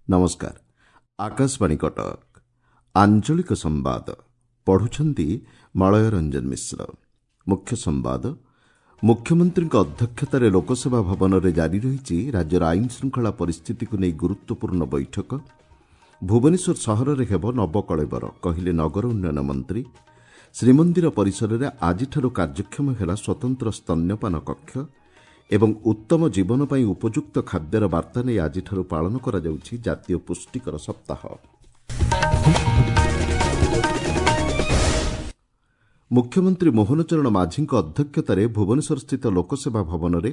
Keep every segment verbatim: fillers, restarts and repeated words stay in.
ନମସ୍କାର, ଆକାଶବାଣୀ କଟକ। ଆଞ୍ଚଳିକ ସମ୍ବାଦ ପଢୁଛନ୍ତି ମଳୟ ରଞ୍ଜନ ମିଶ୍ର। ମୁଖ୍ୟ ସମ୍ବାଦ। ମୁଖ୍ୟମନ୍ତ୍ରୀଙ୍କ ଅଧ୍ୟକ୍ଷତାରେ ଲୋକସେବା ଭବନରେ ଜାରି ରହିଛି ରାଜ୍ୟର ଆଇନ ଶୃଙ୍ଖଳା ପରିସ୍ଥିତିକୁ ନେଇ ଗୁରୁତ୍ୱପୂର୍ଣ୍ଣ ବୈଠକ। ଭୁବନେଶ୍ୱର ସହରରେ ହେବ ନବକଳେବର, କହିଲେ ନଗର ଉନ୍ନୟନ ମନ୍ତ୍ରୀ। ଶ୍ରୀମନ୍ଦିର ପରିସରରେ ଆଜିଠାରୁ କାର୍ଯ୍ୟକ୍ଷମ ହେଲା ସ୍ୱତନ୍ତ୍ର ସ୍ତନ୍ୟପାନ କକ୍ଷ ଏବଂ ଉତ୍ତମ ଜୀବନ ପାଇଁ ଉପଯୁକ୍ତ ଖାଦ୍ୟର ବାର୍ତ୍ତା ନେଇ ଆଜିଠାରୁ ପାଳନ କରାଯାଉଛି ଜାତୀୟ ପୁଷ୍ଟିକର ସପ୍ତାହ। ମୁଖ୍ୟମନ୍ତ୍ରୀ ମୋହନ ଚରଣ ମାଝୀଙ୍କ ଅଧ୍ୟକ୍ଷତାରେ ଭୁବନେଶ୍ୱରସ୍ଥିତ ଲୋକସେବା ଭବନରେ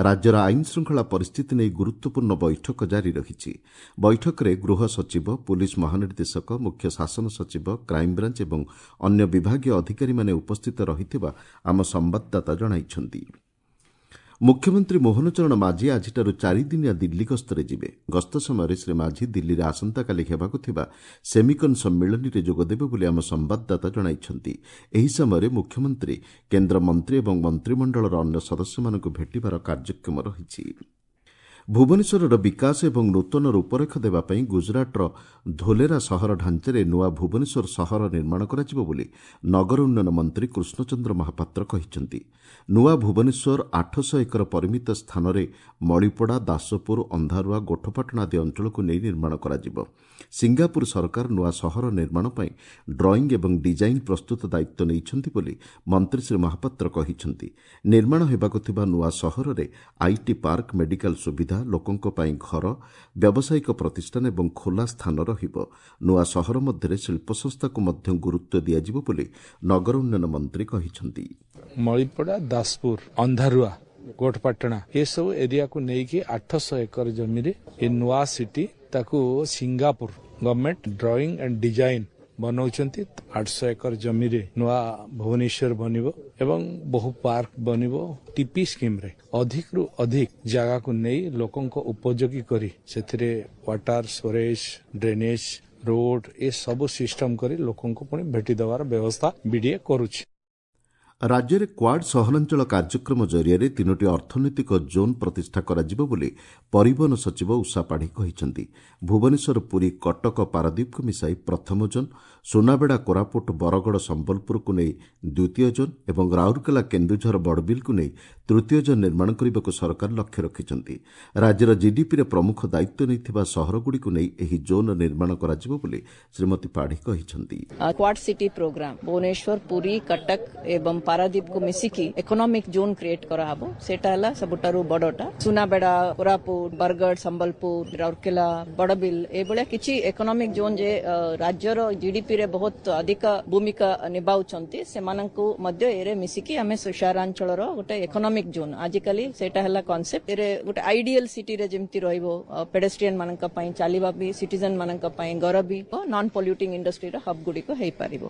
ରାଜ୍ୟର ଆଇନ ଶୃଙ୍ଖଳା ପରିସ୍ଥିତି ନେଇ ଗୁରୁତ୍ୱପୂର୍ଣ୍ଣ ବୈଠକ ଜାରି ରହିଛି। ବୈଠକରେ ଗୃହ ସଚିବ, ପୁଲିସ୍ ମହାନିର୍ଦ୍ଦେଶକ, ମୁଖ୍ୟ ଶାସନ ସଚିବ, କ୍ରାଇମବ୍ରାଞ୍ଚ ଏବଂ ଅନ୍ୟ ବିଭାଗୀୟ ଅଧିକାରୀମାନେ ଉପସ୍ଥିତ ରହିଥିବା ଆମ ସମ୍ବାଦଦାତା ଜଣାଇଛନ୍ତି। ମୁଖ୍ୟମନ୍ତ୍ରୀ ମୋହନ ଚରଣ ମାଝୀ ଆଜିଠାରୁ ଚାରିଦିନିଆ ଦିଲ୍ଲୀ ଗସ୍ତରେ ଯିବେ। ଗସ୍ତ ସମୟରେ ଶ୍ରୀ ମାଝୀ ଦିଲ୍ଲୀରେ ଆସନ୍ତାକାଲି ହେବାକୁ ଥିବା ସେମିକନ୍ ସମ୍ମିଳନୀରେ ଯୋଗଦେବେ ବୋଲି ଆମ ସମ୍ବାଦଦାତା ଜଣାଇଛନ୍ତି। ଏହି ସମୟରେ ମୁଖ୍ୟମନ୍ତ୍ରୀ କେନ୍ଦ୍ର ମନ୍ତ୍ରୀ ଏବଂ ମନ୍ତ୍ରିମଣ୍ଡଳର ଅନ୍ୟ ସଦସ୍ୟମାନଙ୍କୁ ଭେଟିବାର କାର୍ଯ୍ୟକ୍ରମ ରହିଛି। ଭୁବନେଶ୍ୱରର ବିକାଶ ଏବଂ ନୂତନ ରୂପରେଖ ଦେବା ପାଇଁ ଗୁଜରାଟର ଧୋଲେରା ସହର ଢାଞ୍ଚାରେ ନୂଆ ଭୁବନେଶ୍ୱର ସହର ନିର୍ମାଣ କରାଯିବ ବୋଲି ନଗର ଉନ୍ନୟନ ମନ୍ତ୍ରୀ କୃଷ୍ଣଚନ୍ଦ୍ର ମହାପାତ୍ର କହିଛନ୍ତି। ନୂଆ ଭୁବନେଶ୍ୱର ଆଠଶହ ଏକର ପରିମିତ ସ୍ଥାନରେ ମଳିପଡ଼ା, ଦାସପୁର, ଅନ୍ଧାରୁଆ, ଗୋଠପାଟଣା ଆଦି ଅଞ୍ଚଳକୁ ନେଇ ନିର୍ମାଣ କରାଯିବ। ସିଙ୍ଗାପୁର ସରକାର ନୂଆ ସହର ନିର୍ମାଣ ପାଇଁ ଡ୍ରଇଂ ଏବଂ ଡିଜାଇନ୍ ପ୍ରସ୍ତୁତ ଦାୟିତ୍ୱ ନେଇଛନ୍ତି ବୋଲି ମନ୍ତ୍ରୀ ଶ୍ରୀ ମହାପାତ୍ର କହିଛନ୍ତି। ନିର୍ମାଣ ହେବାକୁ ଥିବା ନୂଆ ସହରରେ IT park, medical ସୁବିଧା, ଲୋକଙ୍କ ପାଇଁ ଘର, ବ୍ୟାବସାୟିକ ପ୍ରତିଷ୍ଠାନ ଏବଂ ଖୋଲା ସ୍ଥାନ ରହିବ। ନୂଆ ସହର ମଧ୍ୟରେ ଶିଳ୍ପସଂସ୍ଥାକୁ ମଧ୍ୟ ଗୁରୁତ୍ୱ ଦିଆଯିବ ବୋଲି ନଗର ଉନ୍ନୟନ ମନ୍ତ୍ରୀ କହିଛନ୍ତି। ମଳିପଡ଼ା, ଦାସପୁର, ଅନ୍ଧାରୁଆ, ଗୋଠପାଟଣା ଏସବୁ ଏରିଆକୁ ନେଇକି ଆଠଶହ ଏକର ଜମିରେ ଏ ନୂଆ ସିଟି, ତାକୁ Singapore government drawing and design ବନାଉଛନ୍ତି। ଆଠଶହ ଏକର ଜମିରେ ନୂଆ ଭୁବନେଶ୍ୱର ବନିବ ଏବଂ ବହୁ ପାର୍କ ବନିବ। ଟିପି ସ୍କିମ୍ରେ ଅଧିକରୁ ଅଧିକ ଜାଗାକୁ ନେଇ ଲୋକଙ୍କ ଉପଯୋଗୀ କରି ସେଥିରେ ୱାଟର ଷ୍ଟୋରେଜ, ଡ୍ରେନେଜ, ରୋଡ ଏସବୁ ସିଷ୍ଟମ କରି ଲୋକଙ୍କୁ ପୁଣି ଭେଟି ଦେବାର ବ୍ୟବସ୍ଥା ବିଡିଏ କରୁଛି। ରାଜ୍ୟରେ କ୍ୱାଡ୍ ସହରାଞ୍ଚଳ କାର୍ଯ୍ୟକ୍ରମ ଜରିଆରେ ତିନୋଟି ଅର୍ଥନୈତିକ ଜୋନ୍ ପ୍ରତିଷ୍ଠା କରାଯିବ ବୋଲି ପରିବହନ ସଚିବ ଉଷା ପାଢ଼ୀ କହିଛନ୍ତି। ଭୁବନେଶ୍ୱର, ପୁରୀ, କଟକ, ପାରାଦୀପକୁ ମିଶାଇ ପ୍ରଥମ ଜୋନ୍, ସୁନାବେଡ଼ା, କୋରାପୁଟ, ବରଗଡ଼, ସମ୍ବଲପୁରକୁ ନେଇ ଦ୍ୱିତୀୟ ଜୋନ୍ ଏବଂ ରାଉରକେଲା, କେନ୍ଦୁଝର, ବଡ଼ବିଲକୁ ନେଇ ତୃତୀୟ ଜୋନ୍ ନିର୍ମାଣ କରିବାକୁ ସରକାର ଲକ୍ଷ୍ୟ ରଖିଛନ୍ତି। ରାଜ୍ୟର ଜିଡିପିରେ ପ୍ରମୁଖ ଦାୟିତ୍ୱ ନେଇଥିବା ସହରଗୁଡ଼ିକୁ ନେଇ ଏହି ଜୋନ୍ ନିର୍ମାଣ କରାଯିବ ବୋଲି ଶ୍ରୀମତୀ ପାଢ଼ୀ କହିଛନ୍ତି। Quad city programme Bhubaneswar, Puri, Cuttack ଏବଂ ପାରାଦୀପକୁ ମିଶିକି ଇକୋନୋମିକ ଜୋନ୍ କ୍ରିଏଟ୍ କରାହବ। ସେଇଟା ହେଲା ସବୁଠାରୁ ବଡଟା। ସୁନାବେଡ଼ା, କୋରାପୁଟ, ବରଗଡ଼, ସମ୍ବଲପୁର, ରାଉରକେଲା, ବଡ଼ବିଲ ଏଭଳିଆ କିଛି ଇକୋନୋମିକ ଜୋନ୍ ଯେ ରାଜ୍ୟର ଜିଡିପିରେ ବହୁତ ଅଧିକ ଭୂମିକା ନିଭାଉଛନ୍ତି, ସେମାନଙ୍କୁ ମଧ୍ୟ ଏରେ ମିଶିକି ଆମେ ସହରାଞ୍ଚଳର ଗୋଟେ ଇକୋନୋମିକ ଜୋନ୍, ଆଜିକାଲି ସେଇଟା ହେଲା କନସେପ୍ଟ। ଏରେ ଗୋଟେ ଆଇଡିଆଲ ସିଟିରେ ଯେମିତି ରହିବ, ପେଡେଷ୍ଟ୍ରିଆନ ମାନଙ୍କ ପାଇଁ ଚାଲିବା ବି, ସିଟିଜେନ ମାନଙ୍କ ପାଇଁ ଘର ବି, ନନ୍ ପଲ୍ୟୁଟିଂ ଇଣ୍ଡଷ୍ଟ୍ରିର ହବ୍ ଗୁଡ଼ିକ ହେଇପାରିବ।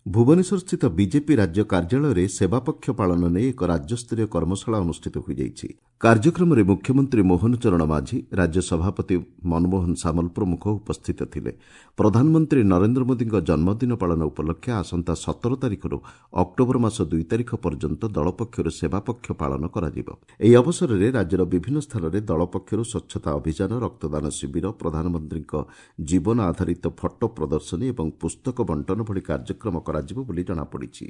ଭୁବନେଶ୍ୱରସ୍ଥିତ ବିଜେପି ରାଜ୍ୟ କାର୍ଯ୍ୟାଳୟରେ ସେବାପକ୍ଷ ପାଳନ ନେଇ ଏକ ରାଜ୍ୟସ୍ତରୀୟ କର୍ମଶାଳା ଅନୁଷ୍ଠିତ ହୋଇଯାଇଛି। କାର୍ଯ୍ୟକ୍ରମରେ ମୁଖ୍ୟମନ୍ତ୍ରୀ ମୋହନ ଚରଣ ମାଝୀ, ରାଜ୍ୟ ସଭାପତି ମନମୋହନ ସାମଲ ପ୍ରମୁଖ ଉପସ୍ଥିତ ଥିଲେ। ପ୍ରଧାନମନ୍ତ୍ରୀ ନରେନ୍ଦ୍ର ମୋଦିଙ୍କ ଜନ୍ମଦିନ ପାଳନ ଉପଲକ୍ଷେ ଆସନ୍ତା ସତର ତାରିଖରୁ ଅକ୍ଟୋବର ମାସ ଦୁଇ ତାରିଖ ପର୍ଯ୍ୟନ୍ତ ଦଳ ପକ୍ଷରୁ ସେବାପକ୍ଷ ପାଳନ କରାଯିବ। ଏହି ଅବସରରେ ରାଜ୍ୟର ବିଭିନ୍ନ ସ୍ଥାନରେ ଦଳ ପକ୍ଷରୁ ସ୍ୱଚ୍ଛତା ଅଭିଯାନ, ରକ୍ତଦାନ ଶିବିର, ପ୍ରଧାନମନ୍ତ୍ରୀଙ୍କ ଜୀବନ ଆଧାରିତ ଫଟୋ ପ୍ରଦର୍ଶନୀ ଏବଂ ପୁସ୍ତକ ବଣ୍ଟନ ଭଳି କାର୍ଯ୍ୟକ୍ରମ କରାଯିବ ବୋଲି ଜଣାପଡ଼ିଛି।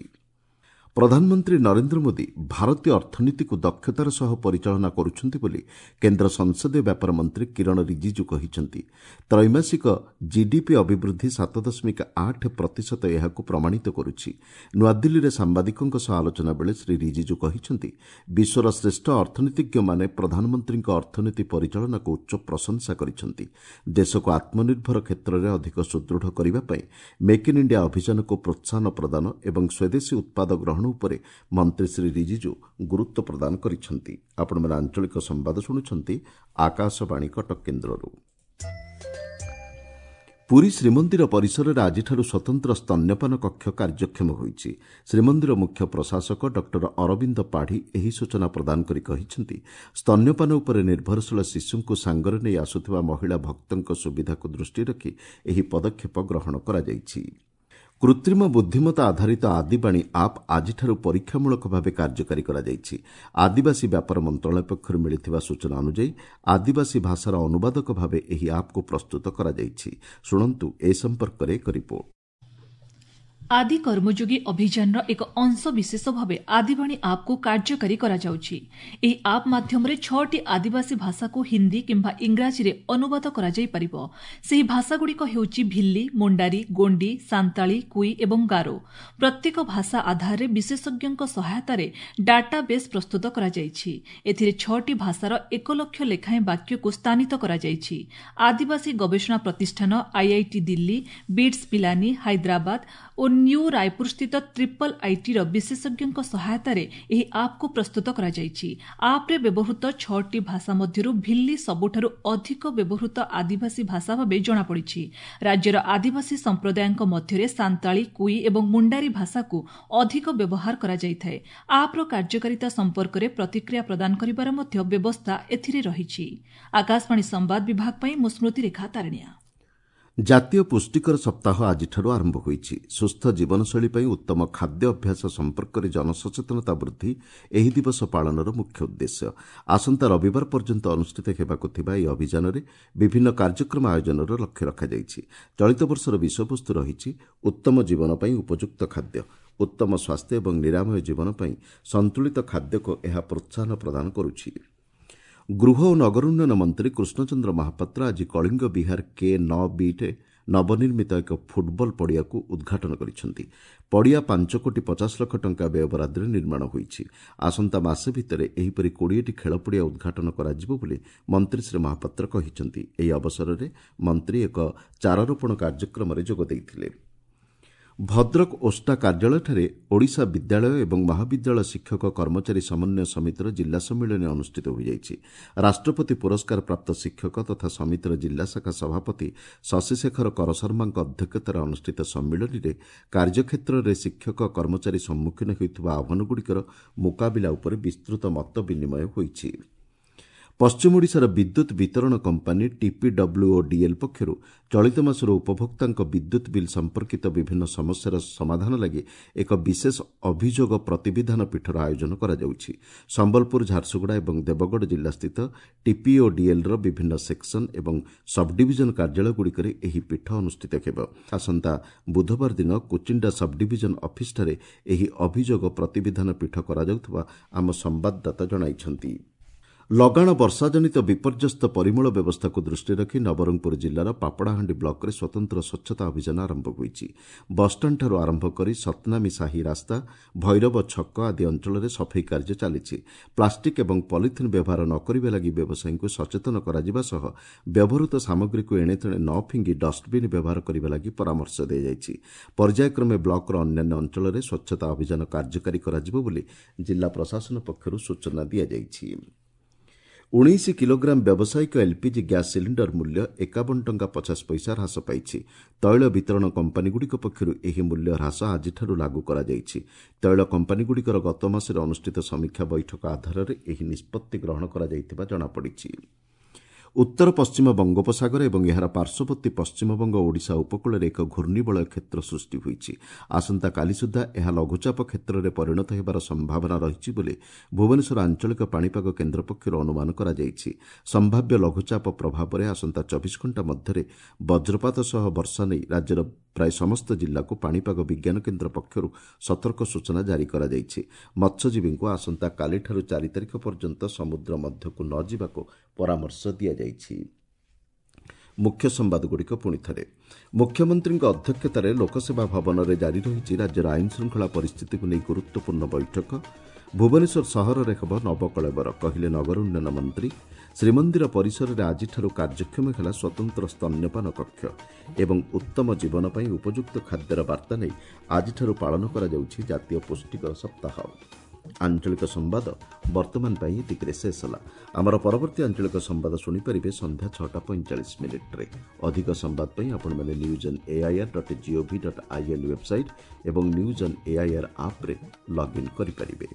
ପ୍ରଧାନମନ୍ତ୍ରୀ ନରେନ୍ଦ୍ର ମୋଦି ଭାରତୀୟ ଅର୍ଥନୀତିକୁ ଦକ୍ଷତାର ସହ ପରିଚାଳନା କରୁଛନ୍ତି ବୋଲି କେନ୍ଦ୍ର ସଂସଦୀୟ ବ୍ୟାପାର ମନ୍ତ୍ରୀ କିରଣ ରିଜିଜୁ କହିଛନ୍ତି। ତ୍ରୈମାସିକ ଜିଡିପି ଅଭିବୃଦ୍ଧି ସାତ ଦଶମିକ ଆଠ ପ୍ରତିଶତ ଏହାକୁ ପ୍ରମାଣିତ କରୁଛି। ନୂଆଦିଲ୍ଲୀରେ ସାମ୍ବାଦିକଙ୍କ ସହ ଆଲୋଚନା ବେଳେ ଶ୍ରୀ ରିଜିଜୁ କହିଛନ୍ତି, ବିଶ୍ୱର ଶ୍ରେଷ୍ଠ ଅର୍ଥନୀତିଜ୍ଞମାନେ ପ୍ରଧାନମନ୍ତ୍ରୀଙ୍କ ଅର୍ଥନୀତି ପରିଚାଳନାକୁ ଉଚ୍ଚ ପ୍ରଶଂସା କରିଛନ୍ତି। ଦେଶକୁ ଆତ୍ମନିର୍ଭର କ୍ଷେତ୍ରରେ ଅଧିକ ସୁଦୃଢ଼ କରିବା ପାଇଁ ମେକ୍ ଇନ୍ ଇଣ୍ଡିଆ ଅଭିଯାନକୁ ପ୍ରୋତ୍ସାହନ ପ୍ରଦାନ ଏବଂ ସ୍ୱଦେଶୀ ଉତ୍ପାଦ ଗ୍ରହଣ ଉପରେ ମନ୍ତ୍ରୀ ଶ୍ରୀ ରିଜିଜୁ ଗୁରୁତ୍ୱ ପ୍ରଦାନ କରିଛନ୍ତି। ଆପଣମାନେ ଆଞ୍ଚଳିକ ସମ୍ବାଦ ଶୁଣୁଛନ୍ତି ଆକାଶବାଣୀ କଟକ କେନ୍ଦ୍ରରୁ। ପୁରୀ ଶ୍ରୀମନ୍ଦିର ପରିସରରେ ଆଜିଠାରୁ ସ୍ୱତନ୍ତ୍ର ସ୍ତନ୍ୟପାନ କକ୍ଷ କାର୍ଯ୍ୟକ୍ଷମ ହୋଇଛି। ଶ୍ରୀମନ୍ଦିର ମୁଖ୍ୟ ପ୍ରଶାସକ ଡକ୍ଟର ଅରବିନ୍ଦ ପାଢ଼ୀ ଏହି ସୂଚନା ପ୍ରଦାନ କରି କହିଛନ୍ତି, ସ୍ତନ୍ୟପାନ ଉପରେ ନିର୍ଭରଶୀଳ ଶିଶୁଙ୍କୁ ସାଙ୍ଗରେ ନେଇ ଆସୁଥିବା ମହିଳା ଭକ୍ତଙ୍କ ସୁବିଧାକୁ ଦୃଷ୍ଟିରେ ରଖି ଏହି ପଦକ୍ଷେପ ଗ୍ରହଣ କରାଯାଇଛି। କୃତ୍ରିମ ବୁଦ୍ଧିମତ୍ତା ଆଧାରିତ ଆଦିବାଣୀ ଆପ୍ ଆଜିଠାରୁ ପରୀକ୍ଷାମୂଳକ ଭାବେ କାର୍ଯ୍ୟକାରୀ କରାଯାଇଛି। ଆଦିବାସୀ ବ୍ୟାପାର ମନ୍ତ୍ରଣାଳୟ ପକ୍ଷରୁ ମିଳିଥିବା ସୂଚନା ଅନୁଯାୟୀ ଆଦିବାସୀ ଭାଷାର ଅନୁବାଦକ ଭାବେ ଏହି ଆପ୍କୁ ପ୍ରସ୍ତୁତ କରାଯାଇଛି। ଶୁଣନ୍ତୁ ଏ ସମ୍ପର୍କରେ ଏକ ରିପୋର୍ଟ। ଆଦି କର୍ମଯୋଗୀ ଅଭିଯାନର ଏକ ଅଂଶବିଶେଷ ଭାବେ ଆଦିବାଣୀ ଆପ୍କୁ କାର୍ଯ୍ୟକାରୀ କରାଯାଉଛି। ଏହି ଆପ୍ ମାଧ୍ୟମରେ ଛଅଟି ଆଦିବାସୀ ଭାଷାକୁ ହିନ୍ଦୀ କିମ୍ବା ଇଂରାଜୀରେ ଅନୁବାଦ କରାଯାଇପାରିବ। ସେହି ଭାଷାଗୁଡ଼ିକ ହେଉଛି ଭିଲ୍ଲି, ମୁଣ୍ଡାରୀ, ଗୋଣ୍ଡି, ସାନ୍ତାଳୀ, କୁଇ ଏବଂ ଗାରୋ। ପ୍ରତ୍ୟେକ ଭାଷା ଆଧାରରେ ବିଶେଷଜ୍ଞଙ୍କ ସହାୟତାରେ ଡାଟାବେସ୍ ପ୍ରସ୍ତୁତ କରାଯାଇଛି। ଏଥିରେ ଛଅଟି ଭାଷାର ଏକ ଲକ୍ଷ ଲେଖାଏଁ ବାକ୍ୟକୁ ସ୍ଥାନିତ କରାଯାଇଛି। ଆଦିବାସୀ ଗବେଷଣା ପ୍ରତିଷ୍ଠାନ, ଆଇଆଇଟି ଦିଲ୍ଲୀ, ବିଟ୍ସ ପିଲାନି, ହାଇଦ୍ରାବାଦ ଓ ନ୍ୟୁ ରାୟପୁରସ୍ଥିତ ଟ୍ରିପଲ୍ ଆଇଟିର ବିଶେଷଜ୍ଞଙ୍କ ସହାୟତାରେ ଏହି ଆପ୍କୁ ପ୍ରସ୍ତୁତ କରାଯାଇଛି। ଆପ୍ରେ ବ୍ୟବହୃତ ଛଅଟି ଭାଷା ମଧ୍ୟରୁ ଭିଲ୍ଲି ସବୁଠାରୁ ଅଧିକ ବ୍ୟବହୃତ ଆଦିବାସୀ ଭାଷା ଭାବେ ଜଣାପଡ଼ିଛି। ରାଜ୍ୟର ଆଦିବାସୀ ସମ୍ପ୍ରଦାୟଙ୍କ ମଧ୍ୟରେ ସାନ୍ତାଳୀ, କୁଇ ଏବଂ ମୁଣ୍ଡାରୀ ଭାଷାକୁ ଅଧିକ ବ୍ୟବହାର କରାଯାଇଥାଏ। ଆପ୍ର କାର୍ଯ୍ୟକାରିତା ସମ୍ପର୍କରେ ପ୍ରତିକ୍ରିୟା ପ୍ରଦାନ କରିବାର ମଧ୍ୟ ବ୍ୟବସ୍ଥା ଏଥିରେ ରହିଛି। ଆକାଶବାଣୀ ସମ୍ବାଦ ବିଭାଗ ପାଇଁ ମୁଁ ସ୍ମୃତିରେଖା ତାରିଣିଆ। ଜାତୀୟ ପୁଷ୍ଟିକର ସପ୍ତାହ ଆଜିଠାରୁ ଆରମ୍ଭ ହୋଇଛି। ସୁସ୍ଥ ଜୀବନଶୈଳୀ ପାଇଁ ଉତ୍ତମ ଖାଦ୍ୟ ଅଭ୍ୟାସ ସମ୍ପର୍କରେ ଜନସଚେତନତା ବୃଦ୍ଧି ଏହି ଦିବସ ପାଳନର ମୁଖ୍ୟ ଉଦ୍ଦେଶ୍ୟ। ଆସନ୍ତା ରବିବାର ପର୍ଯ୍ୟନ୍ତ ଅନୁଷ୍ଠିତ ହେବାକୁ ଥିବା ଏହି ଅଭିଯାନରେ ବିଭିନ୍ନ କାର୍ଯ୍ୟକ୍ରମ ଆୟୋଜନର ଲକ୍ଷ୍ୟ ରଖାଯାଇଛି। ଚଳିତ ବର୍ଷର ବିଷୟବସ୍ତୁ ରହିଛି ଉତ୍ତମ ଜୀବନ ପାଇଁ ଉପଯୁକ୍ତ ଖାଦ୍ୟ। ଉତ୍ତମ ସ୍ୱାସ୍ଥ୍ୟ ଏବଂ ନିରାମୟ ଜୀବନ ପାଇଁ ସନ୍ତୁଳିତ ଖାଦ୍ୟକୁ ଏହା ପ୍ରୋତ୍ସାହନ ପ୍ରଦାନ କରୁଛି। ଗୃହ ଓ ନଗର ଉନ୍ନୟନ ମନ୍ତ୍ରୀ କୃଷ୍ଣଚନ୍ଦ୍ର ମହାପାତ୍ର ଆଜି କଳିଙ୍ଗ ବିହାର କେ ନଅ ବିରେ ନବନିର୍ମିତ ଏକ ଫୁଟବଲ ପଡ଼ିଆକୁ ଉଦ୍ଘାଟନ କରିଛନ୍ତି। ପଡ଼ିଆ ପାଞ୍ଚ କୋଟି ପଚାଶ ଲକ୍ଷ ଟଙ୍କା ବ୍ୟୟବରାଦରେ ନିର୍ମାଣ ହୋଇଛି। ଆସନ୍ତା ମାସେ ଭିତରେ ଏହିପରି କୋଡ଼ିଏଟି ଖେଳପଡ଼ିଆ ଉଦ୍ଘାଟନ କରାଯିବ ବୋଲି ମନ୍ତ୍ରୀ ଶ୍ରୀ ମହାପାତ୍ର କହିଛନ୍ତି। ଏହି ଅବସରରେ ମନ୍ତ୍ରୀ ଏକ ଚାରାରୋପଣ କାର୍ଯ୍ୟକ୍ରମରେ ଯୋଗ ଦେଇଥିଲେ। ଭଦ୍ରକ ଓଷ୍ଟା କାର୍ଯ୍ୟାଳୟଠାରେ ଓଡ଼ିଶା ବିଦ୍ୟାଳୟ ଏବଂ ମହାବିଦ୍ୟାଳୟ ଶିକ୍ଷକ କର୍ମଚାରୀ ସମନ୍ୱୟ ସମିତିର ଜିଲ୍ଲା ସମ୍ମିଳନୀ ଅନୁଷ୍ଠିତ ହୋଇଯାଇଛି। ରାଷ୍ଟ୍ରପତି ପୁରସ୍କାର ପ୍ରାପ୍ତ ଶିକ୍ଷକ ତଥା ସମିତିର ଜିଲ୍ଲା ଶାଖା ସଭାପତି ଶଶିଶେଖର କରଶର୍ମାଙ୍କ ଅଧ୍ୟକ୍ଷତାରେ ଅନୁଷ୍ଠିତ ସମ୍ମିଳନୀରେ କାର୍ଯ୍ୟକ୍ଷେତ୍ରରେ ଶିକ୍ଷକ କର୍ମଚାରୀ ସମ୍ମୁଖୀନ ହେଉଥିବା ଆହ୍ୱାନଗୁଡ଼ିକର ମୁକାବିଲା ଉପରେ ବିସ୍ତୃତ ମତ ବିନିମୟ ହୋଇଛି। ପଶ୍ଚିମ ଓଡ଼ିଶାର ବିଦ୍ୟୁତ୍ ବିତରଣ କମ୍ପାନୀ ଟିପିଡବ୍ଲ୍ୟୁଓଡିଏଲ୍ ପକ୍ଷରୁ ଚଳିତ ମାସରୁ ଉପଭୋକ୍ତାଙ୍କ ବିଦ୍ୟୁତ୍ ବିଲ୍ ସମ୍ପର୍କିତ ବିଭିନ୍ନ ସମସ୍ୟାର ସମାଧାନ ଲାଗି ଏକ ବିଶେଷ ଅଭିଯୋଗ ପ୍ରତିବିଧାନ ପୀଠର ଆୟୋଜନ କରାଯାଉଛି। ସମ୍ବଲପୁର, ଝାରସୁଗୁଡ଼ା ଏବଂ ଦେବଗଡ଼ ଜିଲ୍ଲାସ୍ଥିତ ଟିପିଓଡିଏଲ୍ର ବିଭିନ୍ନ ସେକ୍ସନ ଏବଂ ସବ୍ଡିଭିଜନ କାର୍ଯ୍ୟାଳୟଗୁଡ଼ିକରେ ଏହି ପୀଠ ଅନୁଷ୍ଠିତ ହେବ। ଆସନ୍ତା ବୁଧବାର ଦିନ କୁଚିଣ୍ଡା ସବ୍ଡିଭିଜନ ଅଫିସଠାରେ ଏହି ଅଭିଯୋଗ ପ୍ରତିବିଧାନ ପୀଠ କରାଯାଉଥିବା ଆମ ସମ୍ବାଦଦାତା ଜଣାଇଛନ୍ତି। ଲଗାଣ ବର୍ଷାଜନିତ ବିପର୍ଯ୍ୟସ୍ତ ପରିମଳ ବ୍ୟବସ୍ଥାକୁ ଦୃଷ୍ଟିରେ ରଖି ନବରଙ୍ଗପୁର ଜିଲ୍ଲାର ପାପଡ଼ାହାଣ୍ଡି ବ୍ଲକରେ ସ୍ୱତନ୍ତ୍ର ସ୍ୱଚ୍ଛତା ଅଭିଯାନ ଆରମ୍ଭ ହୋଇଛି। ବସ୍ଷ୍ଟାଣ୍ଡଠାରୁ ଆରମ୍ଭ କରି ସତନାମୀ ସାହି ରାସ୍ତା, ଭୈରବ ଛକ ଆଦି ଅଞ୍ଚଳରେ ସଫେଇ କାର୍ଯ୍ୟ ଚାଲିଛି। ପ୍ଲାଷ୍ଟିକ୍ ଏବଂ ପଲିଥିନ୍ ବ୍ୟବହାର ନ କରିବା ଲାଗି ବ୍ୟବସାୟୀଙ୍କୁ ସଚେତନ କରାଯିବା ସହ ବ୍ୟବହୃତ ସାମଗ୍ରୀକୁ ଏଣେତେଣେ ନ ଫିଙ୍ଗି ଡଷ୍ଟବିନ୍ ବ୍ୟବହାର କରିବା ଲାଗି ପରାମର୍ଶ ଦିଆଯାଇଛି। ପର୍ଯ୍ୟାୟକ୍ରମେ ବ୍ଲକର ଅନ୍ୟାନ୍ୟ ଅଞ୍ଚଳରେ ସ୍ୱଚ୍ଛତା ଅଭିଯାନ କାର୍ଯ୍ୟକାରୀ କରାଯିବ ବୋଲି ଜିଲ୍ଲା ପ୍ରଶାସନ ପକ୍ଷରୁ ସୂଚନା ଦିଆଯାଇଛି। ଉଣେଇଶ କିଲୋଗ୍ରାମ ବ୍ୟବସାୟିକ ଏଲ୍ପିଜି ଗ୍ୟାସ୍ ସିଲିଣ୍ଡର ମୂଲ୍ୟ ଏକାବନ ଟଙ୍କା ପଚାଶ ପଇସା ହ୍ରାସ ପାଇଛି। ତୈଳ ବିତରଣ କମ୍ପାନୀଗୁଡ଼ିକ ପକ୍ଷରୁ ଏହି ମୂଲ୍ୟ ହ୍ରାସ ଆଜିଠାରୁ ଲାଗୁ କରାଯାଇଛି। ତୈଳ କମ୍ପାନୀଗୁଡ଼ିକର ଗତ ମାସରେ ଅନୁଷ୍ଠିତ ସମୀକ୍ଷା ବୈଠକ ଆଧାରରେ ଏହି ନିଷ୍ପତ୍ତି ଗ୍ରହଣ କରାଯାଇଥିବା ଜଣାପଡ଼ିଛି। ଉତ୍ତର ପଶ୍ଚିମ ବଙ୍ଗୋପସାଗର ଏବଂ ଏହାର ପାର୍ଶ୍ୱବର୍ତ୍ତୀ ପଶ୍ଚିମବଙ୍ଗ ଓଡ଼ିଶା ଉପକୂଳରେ ଏକ ଘୂର୍ଣ୍ଣିବଳୟ କ୍ଷେତ୍ର ସୃଷ୍ଟି ହୋଇଛି। ଆସନ୍ତାକାଲି ସୁଦ୍ଧା ଏହା ଲଘୁଚାପ କ୍ଷେତ୍ରରେ ପରିଣତ ହେବାର ସମ୍ଭାବନା ରହିଛି ବୋଲି ଭୁବନେଶ୍ୱର ଆଞ୍ଚଳିକ ପାଣିପାଗ କେନ୍ଦ୍ର ପକ୍ଷରୁ ଅନୁମାନ କରାଯାଇଛି। ସମ୍ଭାବ୍ୟ ଲଘୁଚାପ ପ୍ରଭାବରେ ଆସନ୍ତା ଚବିଶ ଘଣ୍ଟା ମଧ୍ୟରେ ବଜ୍ରପାତ ସହ ବର୍ଷା ନେଇ ରାଜ୍ୟର ପ୍ରାୟ ସମସ୍ତ ଜିଲ୍ଲାକୁ ପାଣିପାଗ ବିଜ୍ଞାନ କେନ୍ଦ୍ର ପକ୍ଷରୁ ସତର୍କ ସୂଚନା ଜାରି କରାଯାଇଛି। ମତ୍ସ୍ୟଜୀବୀଙ୍କୁ ଆସନ୍ତାକାଲିଠାରୁ ଚାରି ତାରିଖ ପର୍ଯ୍ୟନ୍ତ ସମୁଦ୍ର ମଧ୍ୟକୁ ନ ଯିବାକୁ ପରାମର୍ଶ ଦିଆଯାଇଛି। ମୁଖ୍ୟ ସମ୍ବାଦଗୁଡ଼ିକ ପୁଣି ଥରେ। ମୁଖ୍ୟମନ୍ତ୍ରୀଙ୍କ ଅଧ୍ୟକ୍ଷତାରେ ଲୋକସେବା ଭବନରେ ଜାରି ରହିଛି ରାଜ୍ୟର ଆଇନ ଶୃଙ୍ଖଳା ପରିସ୍ଥିତିକୁ ନେଇ ଗୁରୁତ୍ୱପୂର୍ଣ୍ଣ ବୈଠକ। ଭୁବନେଶ୍ୱର ସହରରେ ହେବ ନବକଳେବର, କହିଲେ ନଗର ଉନ୍ନୟନ ମନ୍ତ୍ରୀ। ଶ୍ରୀମନ୍ଦିର ପରିସରରେ ଆଜିଠାରୁ କାର୍ଯ୍ୟକ୍ଷମ ହେଲା ସ୍ୱତନ୍ତ୍ର ସ୍ତନ୍ୟପାନ କକ୍ଷ ଏବଂ ଉତ୍ତମ ଜୀବନ ପାଇଁ ଉପଯୁକ୍ତ ଖାଦ୍ୟର ବାର୍ତ୍ତା ନେଇ ଆଜିଠାରୁ ପାଳନ କରାଯାଉଛି ଜାତୀୟ ପୁଷ୍ଟିକର ସପ୍ତାହ। ଆଞ୍ଚଳିକ ସମ୍ବାଦ ବର୍ତ୍ତମାନ ପାଇଁ ଏତିକିରେ ଶେଷ ହେଲା। ଆମର ପରବର୍ତ୍ତୀ ଆଞ୍ଚଳିକ ସମ୍ବାଦ ଶୁଣିପାରିବେ ସନ୍ଧ୍ୟା ଛଅଟା ପଇଁଚାଳିଶ ମିନିଟ୍ରେ। ଅଧିକ ସମ୍ବାଦ ପାଇଁ ଆପଣମାନେ news on AIR dot gov dot in website ଏବଂ ନ୍ୟୁଜ୍ ଅନ୍ ଏଆଇଆର୍ ଆପ୍ରେ ଲଗ୍ଇନ୍ କରିପାରିବେ।